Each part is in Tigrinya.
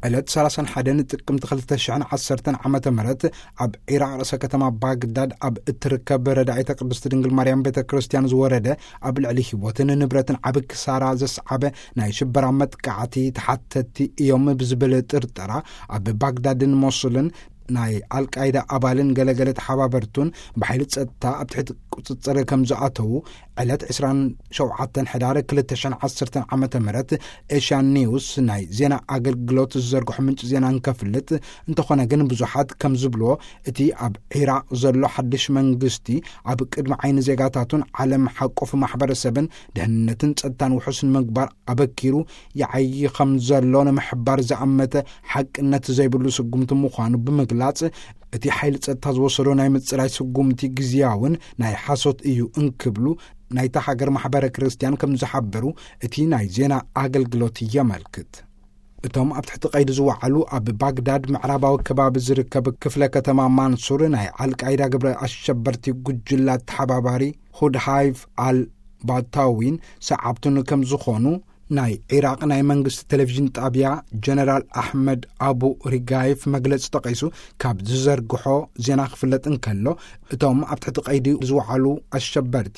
ዕለት ሰላሳን ሓደን ጥቅምቲ ክልተ ሽሕን ዓሰርተን ዓመተ ምህረት ኣብ ዒራቕ ርእሰ ከተማ ባግዳድ ኣብ እትርከብ ረዳኢተ ቅድስት ድንግል ማርያም ቤተ ክርስቲያን ዝወረደ ኣብ ልዕሊ ህይወትን ንብረትን ዓቢ ክሳራ ዘስዓበ ናይ ሽበራ መጥቃዕቲ ተሓተቲ እዮም ብዝብል ጥርጠራ ኣብ ባግዳድን ሞሱልን ናይ ኣልቃይዳ ኣባልን ገለገለ ተሓባበርቱን ብሓይሊ ጸጥታ ኣብ ትሕቲ ቁጽጽር ከም ዝኣተዉ ዕለት ዕስራን ሸውዓተን ሕዳር ክልተ ሽሕን ዓሰርተን ዓመተ ምህረት ኤሽያን ኒውስ ናይ ዜና ኣገልግሎት ዝዘርግሖ ምንጪ ዜና እንከፍልጥ፣ እንተኾነ ግን ብዙሓት ከም ዝብልዎ እቲ ኣብ ዒራቕ ዘሎ ሓድሽ መንግስቲ ኣብ ቅድሚ ዓይኒ ዜጋታቱን ዓለም ሓቆፍ ማሕበረሰብን ድሕንነትን ጸጥታን ውሑስ ንምግባር ኣበኪሩ ይዓዪ ከም ዘሎ ንምሕባር ዝኣመተ ሓቅነት ዘይብሉ ስጉምቲ ምዃኑ ብምግላጽ፣ እቲ ሓይሊ ጸጥታ ዝወሰዶ ናይ ምጽራይ ስጉምቲ ግዝያውን ናይ ሓሶት እዩ እንክብሉ ናይታ ሃገር ማሕበረ ክርስቲያን ከም ዝሓበሩ እቲ ናይ ዜና ኣገልግሎት የመልክት። እቶም ኣብ ትሕቲ ቀይዲ ዝወዓሉ ኣብ ባግዳድ ምዕራባዊ ከባቢ ዝርከብ ክፍለ ከተማ ማንሱር ናይ ኣልቃይዳ ግብረ ኣሸበርቲ ጉጅላ ተሓባባሪ ሁድ ሃይፍ ኣል ባታዊን ሰዓብቱን ከም ዝኾኑ ናይ ዒራቕ ናይ መንግስቲ ቴሌቪዥን ጣብያ ጀነራል ኣሕመድ ኣቡ ሪጋይፍ መግለጺ ጠቒሱ ካብ ዝዘርግሖ ዜና ክፍለጥ እንከሎ፣ እቶም ኣብ ትሕቲ ቀይዲ ዝወዓሉ ኣሸበርቲ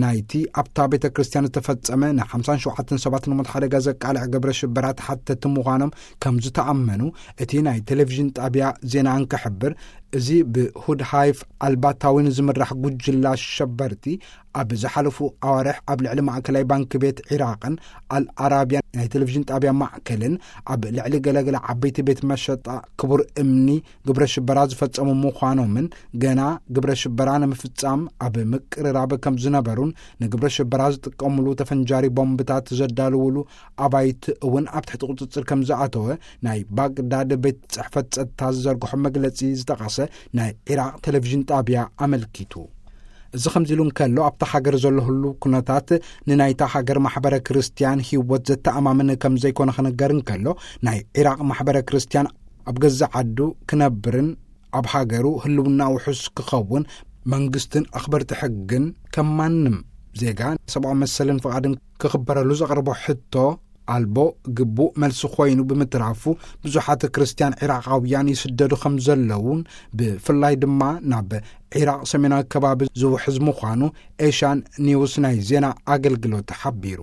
ናይቲ ኣብታ ቤተ ክርስቲያን ዝተፈጸመ ናይ ሓምሳን ሸውዓተን ሰባት ንሞት ሓደጋ ዘቃልዕ ግብረ ሽበራ ተሓተቲ ምዃኖም ከም ዝተኣመኑ እቲ ናይ ቴሌቪዥን ጣብያ ዜና እንክሕብር፣ እዚ ብሁድ ሃይፍ ኣልባታዊን ዝምራሕ ጉጅላ ኣሸበርቲ ኣብ ዝሓለፉ ኣዋርሕ ኣብ ልዕሊ ማእከላይ ባንክ ቤት ዒራቕን ኣልኣራብያን ናይ ቴሌቪዥን ጣብያ ማዕከልን ኣብ ልዕሊ ገለገለ ዓበይቲ ቤት መሸጣ ክቡር እምኒ ግብረ ሽበራ ዝፈጸሙ ምዃኖምን ገና ግብረ ሽበራ ንምፍጻም ኣብ ምቅርራብ ከም ዝነበሩን ንግብረ ሽበራ ዝጥቀሙሉ ተፈንጃሪ ቦምብታት ዘዳልውሉ ኣባይቲ እውን ኣብ ትሕቲ ቁጽጽር ከም ዝኣተወ ናይ ባግዳድ ቤት ጽሕፈት ጸጥታ ዝዘርግሖ መግለጺ ዝጠቐሰ ናይ ዒራቕ ቴሌቪዥን ጣብያ ኣመልኪቱ። እዚ ከምዚ ኢሉ እንከሎ፣ ኣብታ ሃገር ዘሎ ህሉ ኩነታት ንናይታ ሃገር ማሕበረ ክርስቲያን ህይወት ዘተኣማምን ከም ዘይኮነ ክንገር እንከሎ፣ ናይ ዒራቕ ማሕበረ ክርስቲያን ኣብ ገዛ ዓዱ ክነብርን ኣብ ሃገሩ ህልውና ውሑስ ክኸውን መንግስትን ኣኽበርቲ ሕግን ከም ማንም ዜጋ ሰብኣዊ መሰልን ፍቓድን ክኽበረሉ ዘቕርቦ ሕቶ ኣልቦ ግቡእ መልሲ ኮይኑ ብምትራፉ፣ ብዙሓት ክርስቲያን ዒራቓውያን ይስደዱ ከም ዘለውን ብፍላይ ድማ ናብ ዒራቕ ሰሜናዊ ከባቢ ዝውሕዝ ምዃኑ ኤሽያን ኒውስ ናይ ዜና ኣገልግሎት ሓቢሩ።